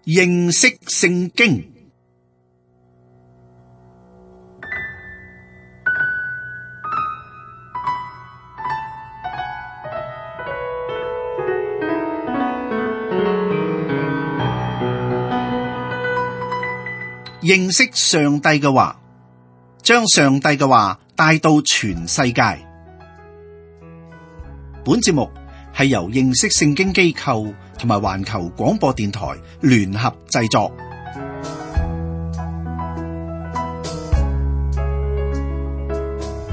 認識聖經。認識上帝嘅話，將上帝嘅話帶到全世界。本節目係由認識聖經機構同埋環球廣播電台聯合製作。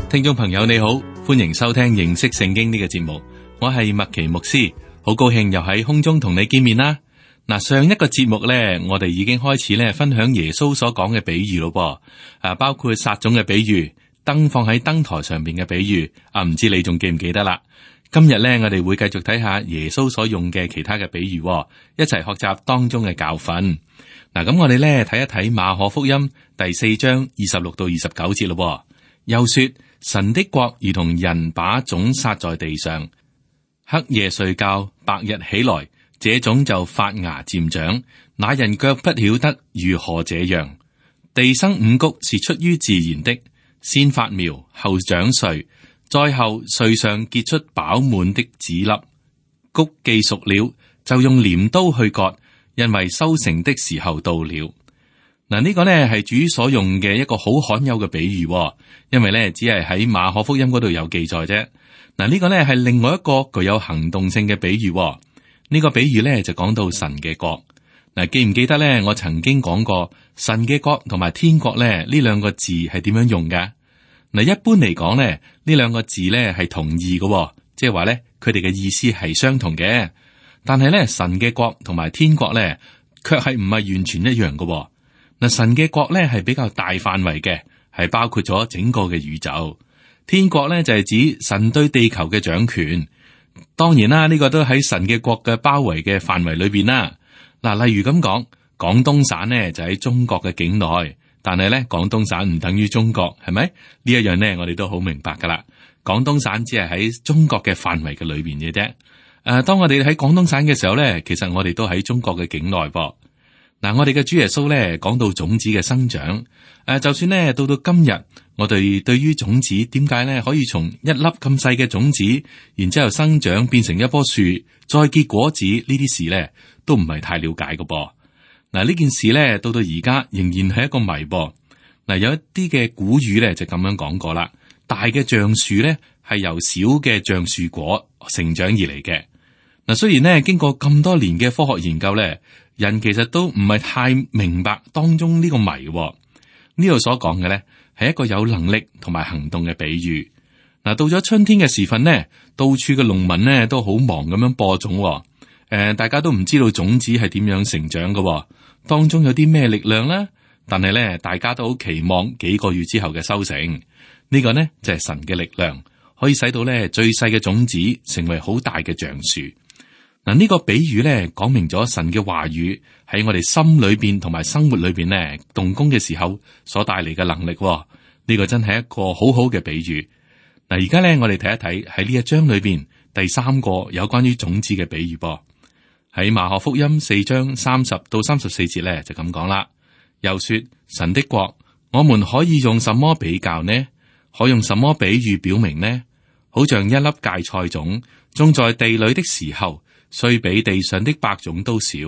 聽眾朋友你好，歡迎收聽認識聖經呢個節目，我係麥奇牧師，好高興又喺空中同你見面啦。嗱，上一個節目咧，我哋已經開始咧分享耶穌所講嘅比喻咯噃，包括撒種嘅比喻、燈放喺燈台上邊嘅比喻，唔知你仲記唔記得啦？今日咧，我哋會繼續睇下耶穌所用嘅其他嘅比喻，一齊學習當中嘅教訓。嗱，咁我哋咧睇一睇馬可福音第4章26到29節咯。又說，神的國如同人把種撒在地上，黑夜睡覺，白日起來，這種就發芽漸長，那人卻不曉得如何這樣。地生五穀是出於自然的，先發苗，後長穗，再後穗上結出飽滿的籽粒。穀既熟了，就用鐮刀去割，因為收成的時候到了。嗱，呢個呢係主所用嘅一個好罕有嘅比喻，因為呢只係喺馬可福音嗰度有記載啫。嗱，呢個呢係另外一個具有行動性嘅比喻。呢個比喻咧就講到神嘅國。嗱，記唔記得咧？我曾經講過神嘅國同埋天國咧呢兩個字係點樣用嘅？嗱，一般嚟講咧呢兩個字咧係同義嘅，即係話咧佢哋嘅意思係相同嘅。但係咧神嘅國同埋天國咧卻係唔係完全一樣嘅。嗱，神嘅國咧係比較大範圍嘅，係包括咗整個嘅宇宙。天國咧就係指神對地球嘅掌權。當然啦，呢個都喺神嘅國嘅包圍嘅範圍裏邊啦。嗱，例如咁講，廣東省呢就喺中國嘅境內，但係咧廣東省唔等於中國，係咪？呢一樣呢，我哋都好明白噶啦。廣東省只係喺中國嘅範圍嘅裏邊嘅啫。當我哋喺廣東省嘅時候咧，其實我哋都喺中國嘅境內噃。嗱，我哋嘅主耶穌咧講到種子嘅生長，就算呢到今日，我哋對於種子點解咧可以從一粒咁細嘅種子，然之後生長變成一棵樹，再結果子呢啲事咧，都唔係太了解嘅噃。嗱，呢件事咧到而家仍然係一個謎噃。嗱，有一啲嘅古語咧就咁樣講過啦，大嘅橡樹咧係由小嘅橡樹果成長而嚟嘅。嗱，雖然呢經過咁多年嘅科學研究咧，人其實都唔係太明白當中呢個謎。呢度所講嘅咧係一個有能力同埋行動嘅比喻。嗱，到咗春天嘅時分呢，到處嘅農民呢都好忙咁樣播種。大家都唔知道種子係點樣成長嘅，當中有啲咩力量呢？但係咧，大家都好期望幾個月之後嘅收成。呢個呢就係神嘅力量，可以使到咧最細嘅種子成為好大嘅橡樹。嗱，呢個比喻咧講明咗神嘅話語喺我哋心裏邊同埋生活裏邊咧動工嘅時候所帶嚟嘅能力。呢個真係一個好好嘅比喻。嗱，而家咧我哋睇一睇喺呢一章裏邊第三個有關於種子嘅比喻噃。喺馬可福音4章30到34節咧就咁講啦。又說，神的國，我們可以用什麼比較呢？可用什麼比喻表明呢？好像一粒芥菜種種在地裏的時候，雖比地上的百種都少，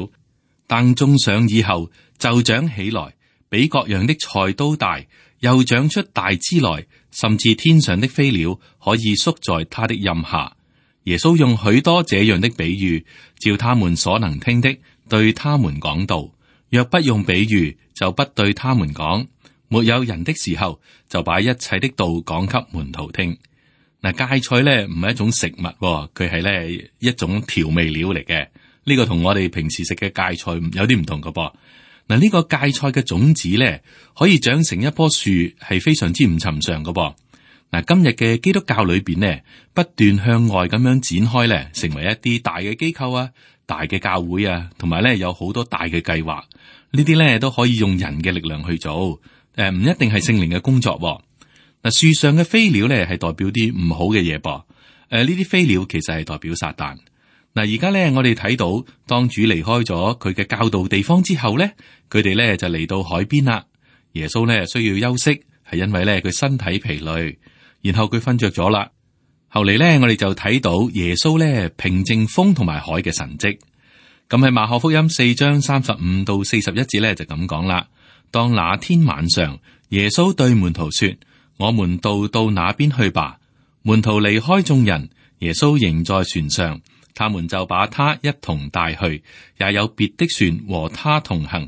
但種上以後就長起來，比各樣的菜都大，又長出大枝來，甚至天上的飛鳥可以宿在它的蔭下。耶穌用許多這樣的比喻，照他們所能聽的，對他們講道。若不用比喻，就不對他們講。沒有人的時候，就把一切的道講給門徒聽。嗱，芥菜咧唔係一種食物，佢係咧一種調味料嚟嘅。呢個同我哋平時食嘅芥菜有啲唔同㗎噃。嗱，呢個芥菜嘅種子咧可以長成一棵樹，係非常之唔尋常㗎噃。嗱，今日嘅基督教裏邊呢，不斷向外咁樣展開咧，成為一啲大嘅機構啊、大嘅教會啊，同埋咧有好多大嘅計劃。呢啲咧都可以用人嘅力量去做，唔一定係聖靈嘅工作。嗱，樹上嘅飛鳥咧係代表啲唔好嘅嘢噃。呢啲飛鳥其實係代表撒旦。嗱，而家咧我哋睇到，當主離開咗佢嘅教導地方之後咧，佢哋咧就嚟到海邊啦。耶穌咧需要休息，係因為咧佢身體疲累，然後佢瞓着咗啦。後嚟咧我哋就睇到耶穌咧平靜風同埋海嘅神蹟。咁喺馬可福音4章35到41節咧就咁講啦。當那天晚上，耶穌對門徒說：我們到那邊去吧。門徒離開眾人，耶穌仍在船上，他們就把他一同帶去，也有別的船和他同行。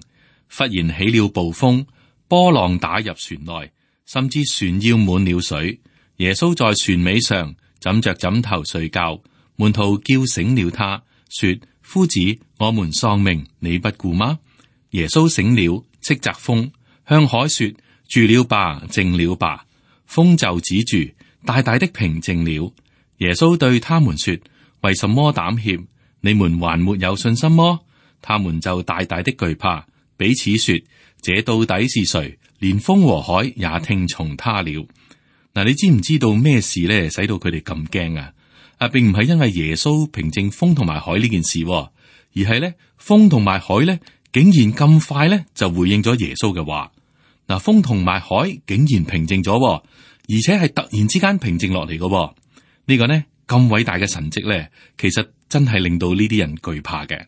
忽然起了暴風，波浪打入船內，甚至船要滿了水。耶穌在船尾上枕着枕頭睡覺，門徒叫醒了他，說：夫子，我們喪命，你不顧嗎？耶穌醒了，斥責風，向海說：住了吧，靜了吧。風就止住，大大的平靜了。耶穌對他們說：為什麼膽怯？你們還沒有信心麼？他們就大大的懼怕，彼此說：這到底是誰？連風和海也聽從他了。嗱，你知唔知道咩事咧，使到佢哋咁驚啊？並唔係因為耶穌平靜風同埋海呢件事，而係咧風同埋海咧竟然咁快咧就回應咗耶穌嘅話。嗱，風同埋海竟然平靜咗，而且係突然之間平靜落嚟嘅。呢個呢咁偉大嘅神蹟咧，其實真係令到呢啲人懼怕嘅。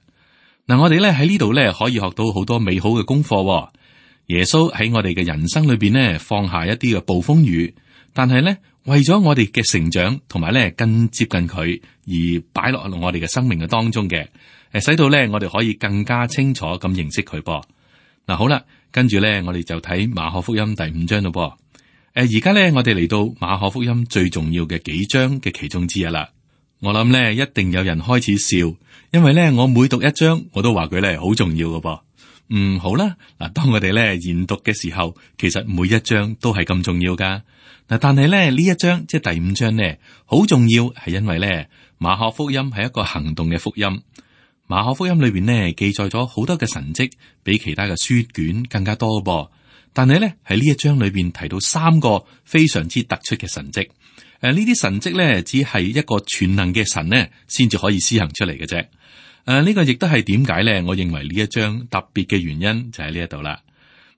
嗱，我哋咧喺呢度咧可以學到好多美好嘅功課。耶穌喺我哋嘅人生裏邊呢放下一啲嘅暴風雨，但係咧為咗我哋嘅成長同埋咧更接近佢而擺落我哋嘅生命嘅當中嘅，使到咧我哋可以更加清楚咁認識佢噃。嗱，好啦，跟住咧我哋就睇馬可福音第5章咯噃。而家咧我哋嚟到馬可福音最重要嘅幾章嘅其中之一啦。我諗咧一定有人開始笑，因為咧我每讀一章我都話佢咧好重要嘅噃。好啦，嗱，當我哋咧研讀嘅時候，其實每一章都係咁重要噶。嗱，但係咧呢一章即係第5章咧，好重要係因為咧馬可福音係一個行動嘅福音。馬可福音裏邊呢記載咗好多嘅神蹟，比其他嘅書卷更加多噃。但係咧喺呢一章裏邊提到3個非常之突出嘅神蹟。呢啲神蹟咧只係一個全能嘅神呢先至可以施行出嚟嘅啫。呢個亦都係點解咧？我認為呢一章特別嘅原因就喺呢一度啦。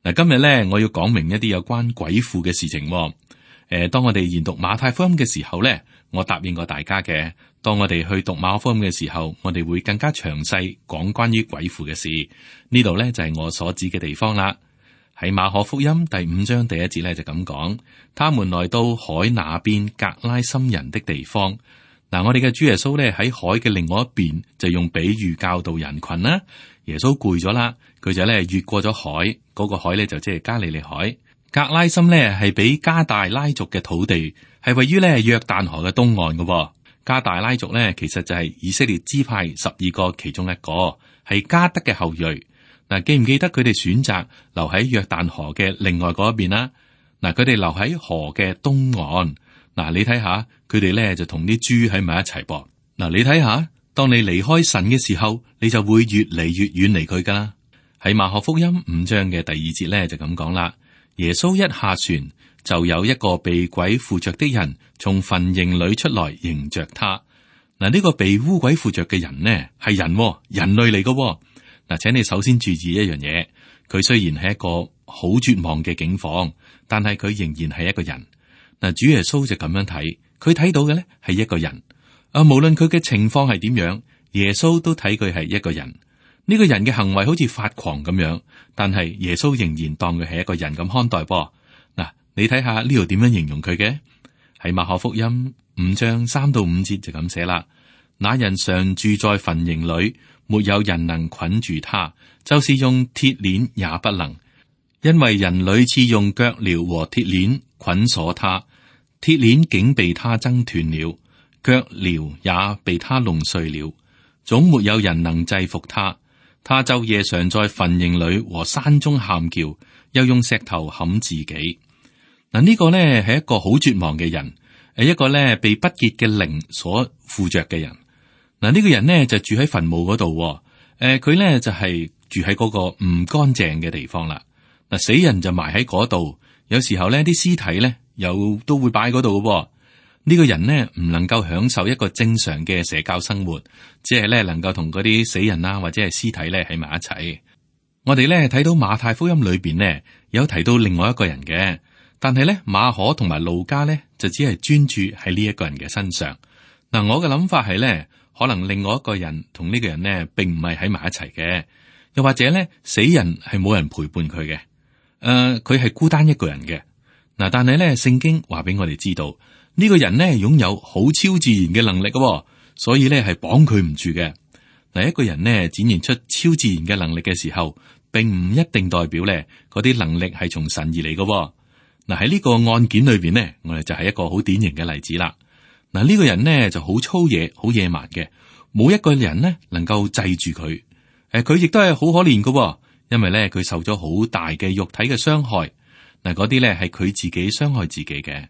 嗱，今日咧我要講明一啲有關鬼附嘅事情。當我哋研讀馬太福音嘅時候咧，我答應過大家嘅，當我哋去讀馬可福音嘅時候，我哋會更加詳細講關於鬼附嘅事。呢度咧就係我所指嘅地方啦。喺馬可福音第5章第1節咧就咁講，他們來到海那邊格拉森人的地方。嗱，我哋嘅主耶穌咧喺海嘅另外一邊就用比喻教導人群啦。耶穌攰咗啦，佢就咧越過咗海，嗰個海咧就即係加利利海。格拉森咧係比加大拉族嘅土地，係位於咧約旦河嘅東岸嘅。加大拉族咧其實就係以色列支派12個其中一個，係加德嘅後裔。嗱，記唔記得佢哋選擇留喺約旦河嘅另外嗰一邊啦？嗱，佢哋留喺河嘅東岸。嗱，你睇下佢哋咧就同啲豬喺埋一齊噃。嗱，你睇下，當你離開神嘅時候，你就會越嚟越遠離佢噶啦。喺馬可福音5章嘅第2節咧就咁講啦。耶穌一下船，就有一個被鬼附着的人從墳塋裏出來迎着他。嗱，呢個被污鬼附着嘅人呢係人類嚟嘅。嗱，請你首先注意一樣嘢，佢雖然係一個好絕望嘅境況，但係佢仍然係一個人。嗱，主耶穌就咁樣睇，佢睇到嘅咧係一個人。無論佢嘅情況係點樣，耶穌都睇佢係一個人。呢個人嘅行為好似發狂咁樣，但係耶穌仍然當佢係一個人咁看待噃。嗱，你睇下呢度點樣形容佢嘅？喺馬可福音5章3到5節就咁寫啦。那人常住在墳塋裏，沒有人能捆住他，就是用鐵鏈也不能，因為人屢次用腳鐐和鐵鏈捆鎖他，鐵鏈竟被他掙斷了，腳鐐也被他弄碎了，總沒有人能制服他。他晝夜常在墳塋裏和山中喊叫，又用石頭砍自己。嗱，呢個呢係一個好絕望嘅人，一個呢被不潔嘅靈所附着嘅人。嗱，呢個人呢就住喺墳墓嗰度，佢呢就係住喺嗰個唔乾淨嘅地方啦。嗱，死人就埋喺嗰度，有時候呢啲屍體呢又都會擺喺嗰度嘅。呢個人呢唔能夠享受一個正常嘅社交生活，只係咧能夠同嗰啲死人啊或者係屍體咧喺埋一齊。我哋咧睇到馬太福音裏邊呢有提到另外一個人嘅，但係咧馬可同埋路加咧就只係專注喺呢一個人嘅身上。嗱，我嘅諗法係咧，可能另外一個人同呢個人呢並唔係喺埋一齊嘅，又或者咧死人係冇人陪伴佢嘅，佢係孤單一個人嘅。嗱，但係咧聖經話俾我哋知道，呢個人呢擁有好超自然嘅能力嘅，所以咧係綁佢唔住嘅。嗱，一個人呢展現出超自然嘅能力嘅時候，並唔一定代表咧嗰啲能力係從神而嚟嘅。嗱，喺呢個案件裏邊呢，我哋就係一個好典型嘅例子啦。嗱，呢個人呢就好粗野、好野蠻嘅，冇一個人呢能夠制住佢。佢亦都係好可憐嘅，因為咧佢受咗好大嘅肉體嘅傷害。嗱，嗰啲咧係佢自己傷害自己嘅。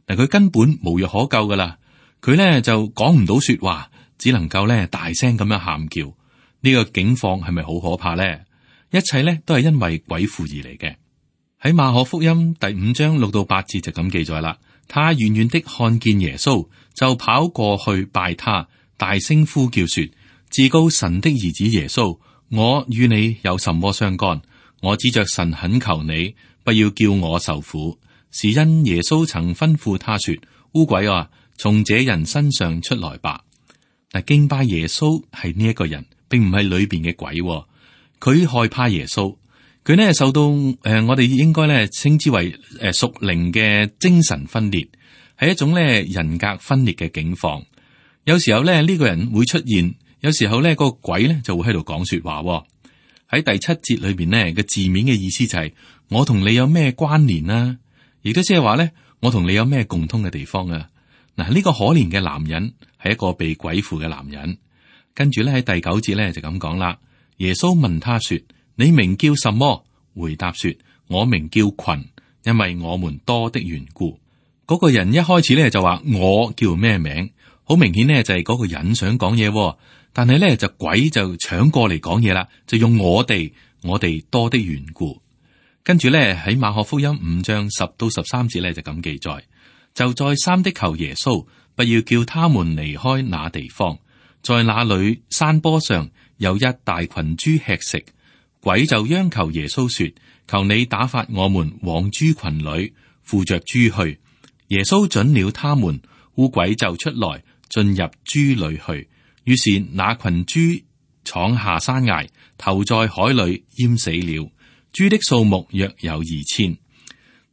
嗱，佢根本無藥可救噶啦。佢咧就講唔到說話，只能夠咧大聲咁樣喊叫。呢個境況係咪好可怕咧？一切咧都係因為鬼附而嚟嘅。喺馬可福音第5章6到8節就咁記載啦。他遠遠的看見耶穌，就跑過去拜他，大聲呼叫說：至高神的兒子耶穌，我與你有什麼相干？我指着神懇求你，不要叫我受苦。是因耶穌曾吩咐他說：污鬼啊，從這人身上出來吧。嗱，敬拜耶穌係呢一個人，並唔係裏邊嘅鬼。佢害怕耶穌，佢呢受到我哋應該咧稱之為屬靈嘅精神分裂，係一種咧人格分裂嘅境況。有時候咧呢個人會出現，有時候咧個鬼咧就會喺度講說話。喺第7節裏邊呢嘅字面嘅意思就係我同你有咩關聯啊？亦都即係話咧我同你有咩共通嘅地方啊？嗱，呢個可憐嘅男人係一個被鬼附嘅男人。跟住咧喺第9節咧就咁講啦。耶穌問他說：你名叫什麼？回答說：我名叫群，因為我們多的緣故。嗰個人一開始咧就話我叫咩名，好明顯呢就係嗰個人想講嘢，但係咧就鬼就搶過嚟講嘢啦，就用我哋多的緣故。跟住咧喺馬可福音5章10到13節咧就咁記載，就再三的求耶穌不要叫他們離開那地方，在那裏山坡上有一大群豬吃食。鬼就央求耶穌說：求你打發我們往豬群裏，附着豬去。耶穌准了他們，污鬼就出來進入豬裏去。於是那群豬闖下山崖，投在海裏淹死了。豬的數目約有2000。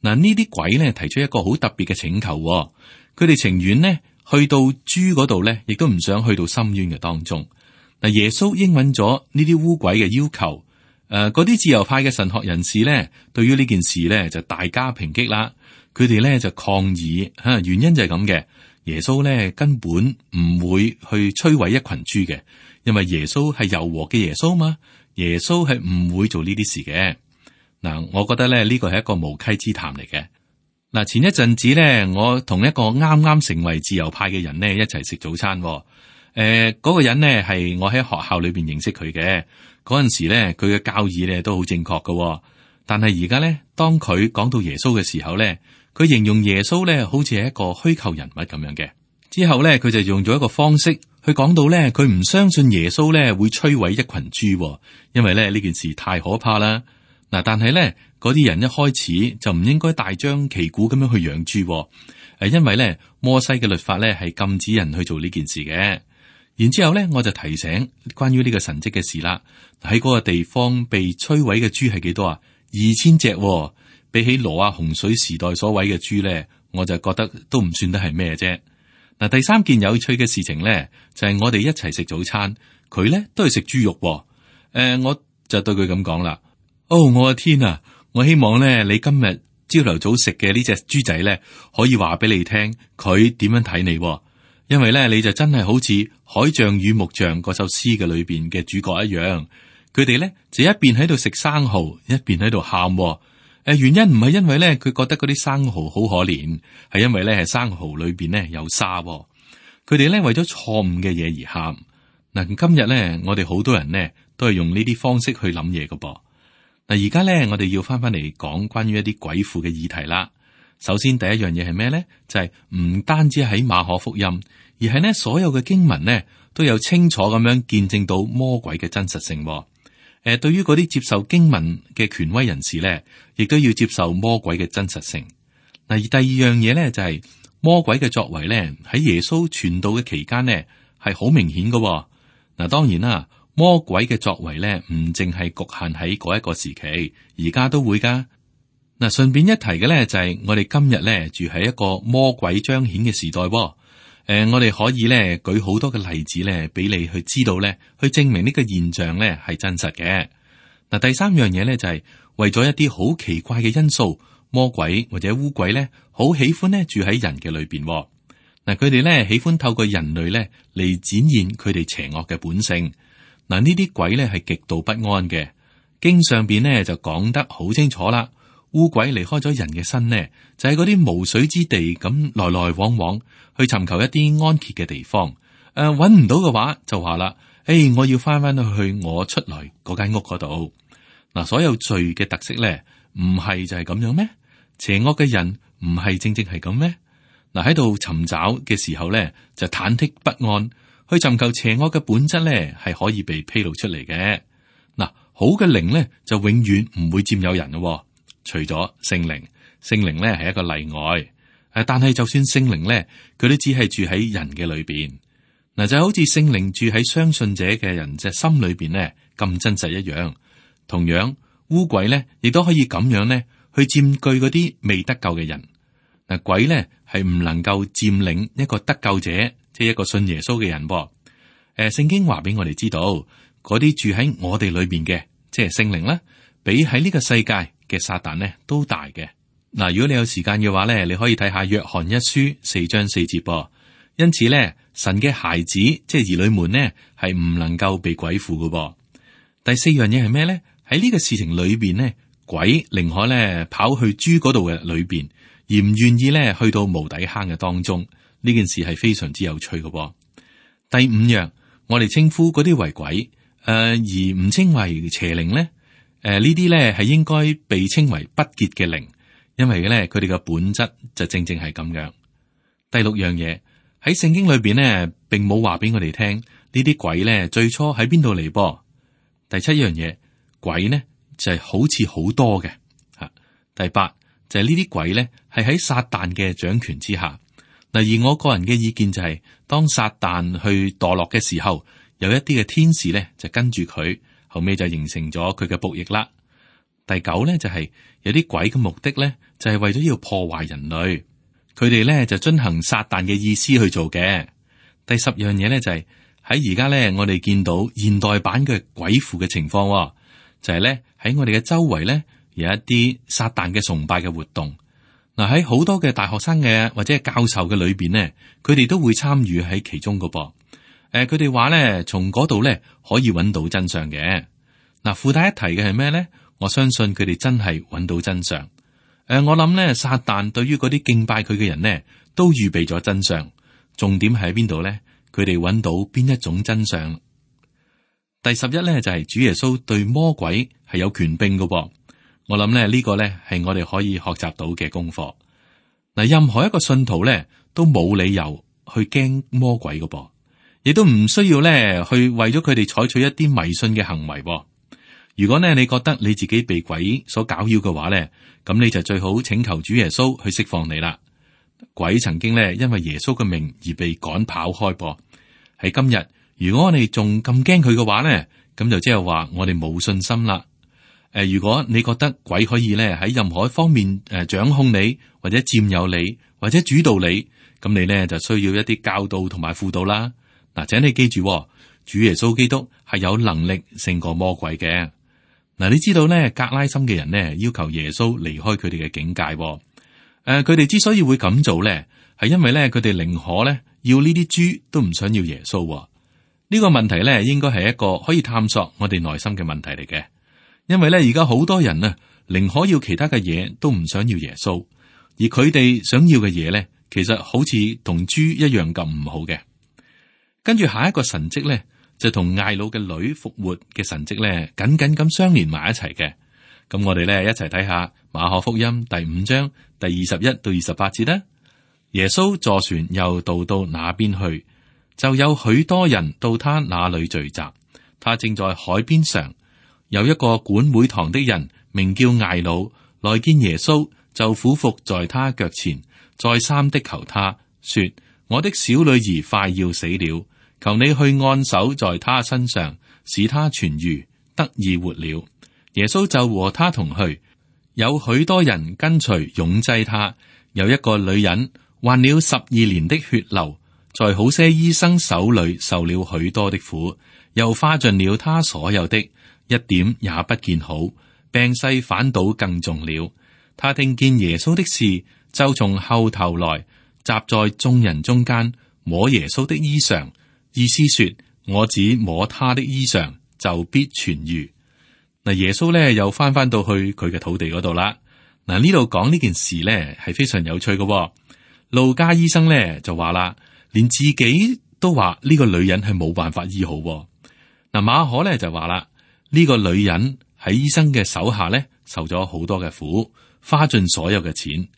嗱，呢啲鬼呢提出一個好特別嘅請求，佢哋情願呢去到豬嗰度呢，亦都唔想去到深淵嘅當中。嗱，耶穌應允咗呢啲污鬼嘅要求。嗰啲自由派嘅神學人士呢，對於呢件事呢就大加抨擊啦。佢哋呢就抗議，原因就係咁嘅。耶穌呢根本唔會去摧毀一群豬嘅，因為耶穌係柔和嘅耶穌嘛。耶穌係唔會做呢啲事嘅。嗱，我覺得咧呢個係一個無稽之談嚟嘅。嗱，前一陣子呢，我同一個啱啱成為自由派嘅人呢一齊食早餐。嗰個人呢係我喺學校裏邊認識佢嘅。嗰陣時咧，佢嘅教義咧都好正確嘅。但係而家咧，當佢講到耶穌嘅時候咧，佢形容耶穌咧好似係一個虛構人物咁樣嘅。之後咧，佢就用咗一個方式去講到咧，佢唔相信耶穌咧會摧毀一群豬，因為咧呢件事太可怕啦。嗱，但係咧嗰啲人一開始就唔應該大張旗鼓咁樣去養豬，因為咧摩西嘅律法咧係禁止人去做呢件事嘅。然之後咧，我就提醒關於呢個神蹟嘅事啦。喺嗰個地方被摧毀嘅豬係幾多啊？2000隻，比起挪亞洪水時代所毀嘅豬咧，我就覺得都唔算得係咩啫。嗱，第三件有趣嘅事情咧，就係我哋一齊食早餐，佢咧都係食豬肉。我就對佢咁講啦：我嘅天啊！我希望咧你今日朝頭早食嘅呢隻豬仔咧，可以話俾你聽佢點樣睇你。因為咧，你就真係好似《海象與木匠》嗰首詩嘅裏邊嘅主角一樣，佢哋咧就一邊喺度食生蠔，一邊喺度喊。原因唔係因為咧佢覺得嗰啲生蠔好可憐，係因為咧係生蠔裏邊咧有沙。佢哋咧為咗錯誤嘅嘢而喊。嗱，今日咧我哋好多人呢都係用呢啲方式去諗嘢㗎噃。嗱，而家咧我哋要翻嚟講關於一啲鬼附嘅議題啦。首先第一樣嘢係咩呢？就係唔單止喺馬可福音，而係呢所有嘅經文呢都有清楚咁樣見證到魔鬼嘅真實性。對於嗰啲接受經文嘅權威人士呢，亦都要接受魔鬼嘅真實性。嗱，而第二樣嘢呢，就係魔鬼嘅作為呢，喺耶穌傳道嘅期間呢係好明顯嘅。嗱，當然啦，魔鬼嘅作為呢唔淨係局限喺嗰一個時期，而家都會噶。嗱，順便一提嘅呢，就係我哋今日呢住喺一個魔鬼彰顯嘅時代。我哋可以呢舉好多嘅例子呢，俾你去知道呢，去證明呢個現象呢係真實嘅。嗱，第三樣嘢呢，就係為咗一啲好奇怪嘅因素，魔鬼或者烏鬼呢，好喜歡呢住喺人嘅裏邊。嗱，佢哋呢喜歡透過人類呢嚟展現佢哋邪惡嘅本性。嗱，呢啲鬼呢係極度不安嘅，經上邊呢就講得好清楚啦。烏鬼離開咗人嘅身呢，就喺嗰啲無水之地咁來來往往去尋求一啲安歇嘅地方。搵唔到嘅話就話啦，我要翻去我出來嗰間屋嗰度。嗱，所有罪嘅特色呢，唔係就係咁樣咩？邪惡嘅人唔係正正係咁咩？嗱，喺度尋找嘅時候呢，就忐忑不安，去尋求邪惡嘅本質呢，係可以被披露出嚟嘅。嗱，好嘅靈呢，就永遠唔會佔有人咯。除咗聖靈，聖靈咧係一個例外。但係就算聖靈咧，佢都只係住喺人嘅裏邊。嗱，就好似聖靈住喺相信者嘅人嘅心裏邊咧，咁真實一樣。同樣，污鬼咧亦都可以咁樣咧去佔據嗰啲未得救嘅人。嗱，鬼咧係唔能夠佔領一個得救者，即係一個信耶穌嘅人。聖經話俾我哋知道，嗰啲住喺我哋裏邊嘅，即係聖靈啦，比喺呢個世界嘅撒旦呢都大嘅。嗱，如果你有時間嘅話咧，你可以睇下約翰一書4章4節噃。因此咧，神嘅孩子即係兒女們呢，係唔能夠被鬼附嘅噃。第四樣嘢係咩咧？喺呢個事情裏邊呢，鬼寧可咧跑去豬嗰度嘅裏邊，而唔願意咧去到無底坑嘅當中。呢件事係非常之有趣嘅噃。第五樣，我哋稱呼嗰啲為鬼，而唔稱為邪靈咧。呢啲咧係應該被稱為不潔嘅靈，因為咧佢哋嘅本質就正正係咁樣。第六樣嘢喺聖經裏邊呢，並冇話俾我哋聽呢啲鬼咧最初喺邊度嚟噃。第七樣嘢，鬼呢就係好似好多嘅吓。第八就係呢啲鬼咧係喺撒旦嘅掌權之下。嗱，而我個人嘅意見就係，當撒旦去墮落嘅時候，有一啲嘅天使咧就跟住佢。後尾就形成咗佢嘅僕役啦。第九咧就係有啲鬼嘅目的咧，就係為咗要破壞人類，佢哋咧就遵行撒旦嘅意思去做嘅。第十樣嘢咧就係喺而家咧，我哋見到現代版嘅鬼附嘅情況，就係咧喺我哋嘅周圍咧有一啲撒旦嘅崇拜嘅活動。嗱，喺好多嘅大學生嘅或者係教授嘅裏邊咧，佢哋都會參與喺其中㗎噃。佢哋話咧，從嗰度咧可以揾到真相嘅。嗱，附帶一提嘅係咩咧？我相信佢哋真係揾到真相。我諗咧，撒旦對於嗰啲敬拜佢嘅人呢，都預備咗真相。重點係喺邊度咧？佢哋揾到邊一種真相？第11咧就係主耶穌對魔鬼係有權柄嘅噃。我諗咧呢個咧係我哋可以學習到嘅功課。嗱，任何一個信徒咧都冇理由去驚魔鬼嘅噃。亦都唔需要咧，去為咗佢哋採取一啲迷信嘅行為。如果呢，你覺得你自己被鬼所攪擾嘅話咧，咁你就最好請求主耶穌去釋放你啦。鬼曾經咧因為耶穌嘅名而被趕跑開噃。喺今日，如果我哋仲咁驚佢嘅話咧，咁就即係話我哋冇信心啦。如果你覺得鬼可以咧喺任何一方面掌控你，或者佔有你，或者主導你，咁你咧就需要一啲教導同埋輔導啦。嗱，請你記住，主耶穌基督係有能力勝過魔鬼嘅。嗱，你知道咧，格拉森嘅人呢要求耶穌離開佢哋嘅境界。佢哋之所以會咁做咧，係因為咧佢哋寧可咧要呢啲豬都唔想要耶穌。呢個問題咧，應該係一個可以探索我哋內心嘅問題嚟嘅。因為咧而家好多人啊，寧可要其他嘅嘢都唔想要耶穌，而佢哋想要嘅嘢咧，其實好似同豬一樣咁唔好嘅。跟住下一個神蹟咧，就同睚魯嘅女復活嘅神蹟咧，緊緊咁相連埋一齊嘅。咁我哋咧一齊睇下馬可福音第5章第21到28節啦。耶穌坐船又渡到那邊去，就有許多人到他那裏聚集。他正在海邊上，有一個管會堂的人名叫睚魯，來見耶穌，就俯伏在他腳前，再三的求他說：我的小女兒快要死了，求你去按手在她身上，使她痊愈，得以活了。耶穌就和他同去，有許多人跟隨擁擠他。有一個女人患了12年的血流，在好些醫生手裏受了許多的苦，又花盡了他所有的，一點也不見好，病勢反倒更重了。他聽見耶穌的事，就從後頭來，站在眾人中間，摸耶穌的衣裳，意思說：我只摸他的衣裳，就必痊愈。嗱，耶穌咧又翻到去佢嘅土地嗰度啦。嗱，呢度講呢件事咧係非常有趣嘅。路加醫生咧就話啦，連自己都話呢個女人係冇辦法醫好。嗱，馬可咧就話啦，呢個女人喺醫生嘅手下咧受咗好多嘅苦，花盡所有嘅錢。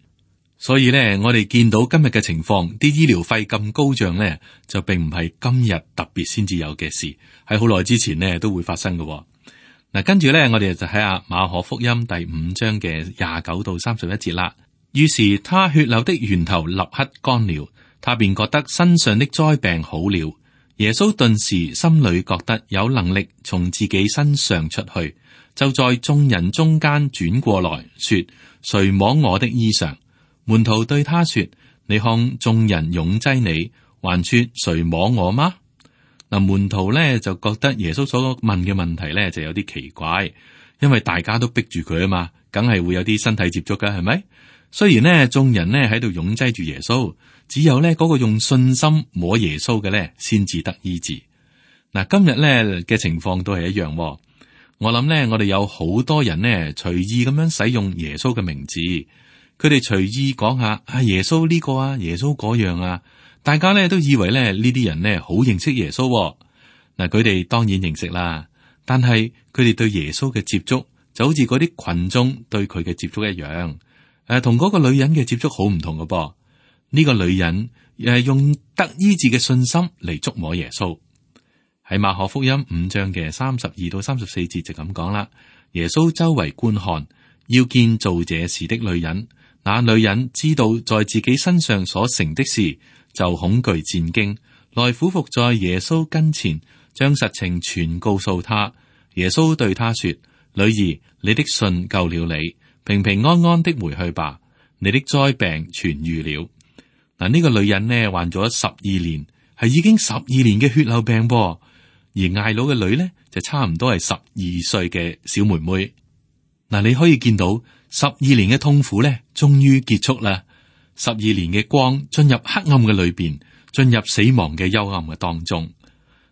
所以咧，我哋見到今日嘅情況，啲醫療費咁高漲咧，就並唔係今日特別先至有嘅事，喺好耐之前呢都會發生嘅。嗱，跟住咧，我哋就睇下馬可福音第5章嘅29到31節啦。於是他血流的源頭立刻乾了，他便覺得身上的災病好了。耶穌頓時心裏覺得有能力從自己身上出去，就在眾人中間轉過來說：誰摸我的衣裳？門徒對他說：你看眾人擁擠你，還說誰摸我嗎？嗱，門徒咧就覺得耶穌所問嘅問題咧就有啲奇怪，因為大家都逼住佢啊嘛，梗係會有啲身體接觸噶，係咪？雖然呢眾人呢喺度擁擠住耶穌，只有呢嗰個用信心摸耶穌嘅咧先至得醫治。嗱，今日咧嘅情況都係一樣。我諗咧，我哋有好多人呢隨意咁樣使用耶穌嘅名字，佢哋隨意講下啊耶穌呢個啊，耶穌嗰樣啊。大家咧都以為咧呢啲人呢好認識耶穌。嗱，佢哋當然認識啦，但係佢哋對耶穌嘅接觸就好似嗰啲群眾對佢嘅接觸一樣，同嗰個女人嘅接觸好唔同嘅噃。呢個女人用得醫治嘅信心嚟觸摸耶穌。喺馬可福音5章嘅32到34節就咁講啦。耶穌周圍觀看，要見做這事的女人。那女人知道在自己身上所成的事，就恐懼戰驚，來俯伏在耶穌跟前，將實情全告訴他。耶穌對他說：女兒，你的信救了你，平平安安的回去吧，你的災病痊愈了。嗱，呢個女人呢患咗12年，係已經12年嘅血漏病噃，而睚魯嘅女呢就差唔多係12歲嘅小妹妹。嗱，你可以見到12年嘅痛苦呢，終於結束啦。12年嘅光進入黑暗嘅裏邊，進入死亡嘅幽暗嘅當中。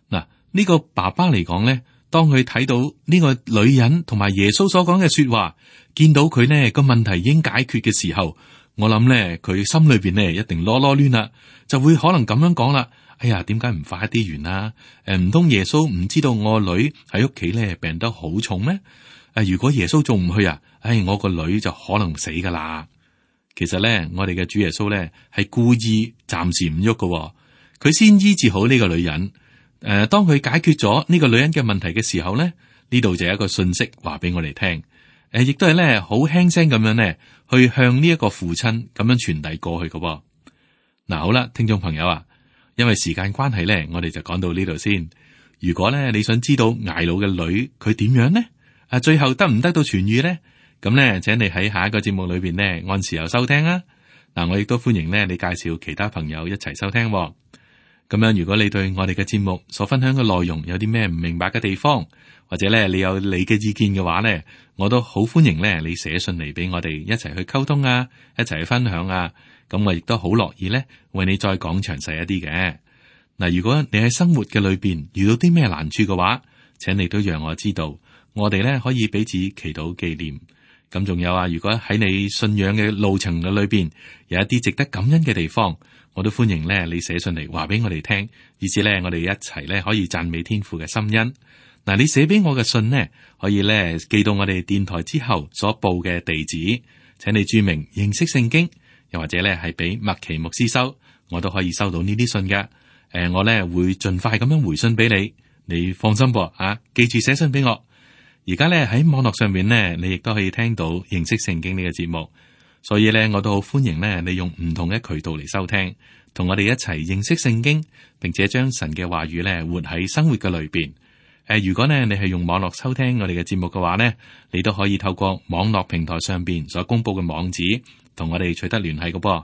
嗱，呢個爸爸嚟講咧，當佢睇到呢個女人同埋耶穌所講嘅說話，見到佢呢個問題已經解決嘅時候，我諗咧佢心裏邊呢一定囉囉攣啦，就會可能咁樣講啦。哎呀，點解唔快啲完啊？唔通耶穌唔知道我女喺屋企咧病得好重咩？如果耶穌仲唔去啊？我個女就可能死噶啦。其實咧，我哋嘅主耶穌咧係故意暫時唔喐嘅，佢先醫治好呢個女人。當佢解決咗呢個女人嘅問題嘅時候咧，呢度就有一個信息話俾我哋聽。亦都係咧好輕聲咁樣咧，去向呢一個父親咁樣傳遞過去嘅。嗱，好啦，聽眾朋友啊，因為時間關係咧，我哋就講到呢度先。如果咧你想知道睚魯嘅女佢點樣呢？最後得唔得到痊愈呢？咁咧，請你喺下一個節目裏邊呢，按時候收聽啊！嗱，我亦都歡迎呢你介紹其他朋友一齊收聽。咁樣，如果你對我哋嘅節目所分享嘅內容有啲咩唔明白嘅地方，或者咧你有你嘅意見嘅話呢，我都好歡迎呢你寫信嚟俾我哋一齊去溝通啊，一齊去分享啊！咁我亦都好樂意呢為你再講詳細一啲嘅。嗱，如果你喺生活嘅裏邊遇到啲咩難處嘅話，請你都讓我知道，我哋呢可以彼此祈禱紀念。咁仲有啊，如果喺你信仰嘅路程嘅裏邊有一啲值得感恩嘅地方，我都歡迎咧你寫信嚟話俾我哋聽，以至咧我哋一齊咧可以讚美天父嘅心恩。嗱，你寫俾我嘅信呢，可以咧寄到我哋電台之後所報嘅地址，請你注明認識聖經，又或者咧係俾麥奇牧師收，我都可以收到呢啲信嘅。我咧會盡快咁樣回信俾你，你放心噃啊！記住寫信俾我。而家咧喺網絡上面呢，你亦都可以聽到認識聖經呢個節目，所以咧我都好歡迎呢，你用唔同嘅渠道嚟收聽，同我哋一齊認識聖經，並且將神嘅話語咧活喺生活嘅裏邊。如果呢你係用網絡收聽我哋嘅節目嘅話呢，你都可以透過網絡平台上邊所公布嘅網址，同我哋取得聯繫嘅噃。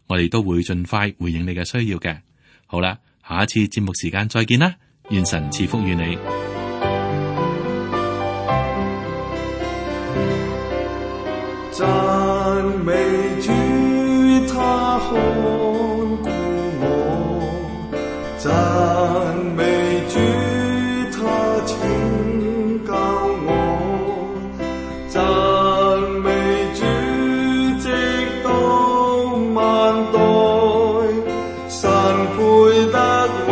我哋都會盡快回應你嘅需要嘅。好啦，下一次節目時間再見啦，願神賜福於你。讚美主，他看顧我，讚美主，他拯救我，讚美主，直到萬代，神配得榮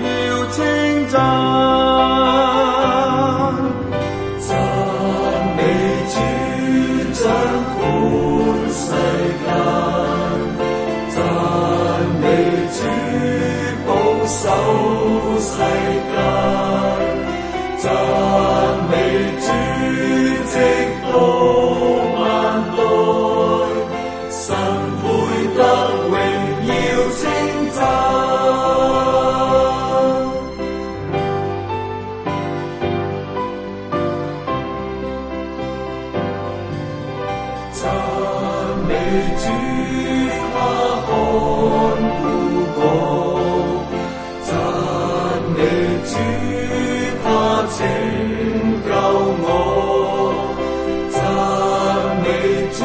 耀稱讚。讚美主，掌管世間，讚美主，保守世間，讚美主，直到萬代，神配得榮耀稱讚。讚美主，他看顧我，讚美主，他拯救我，讚美主。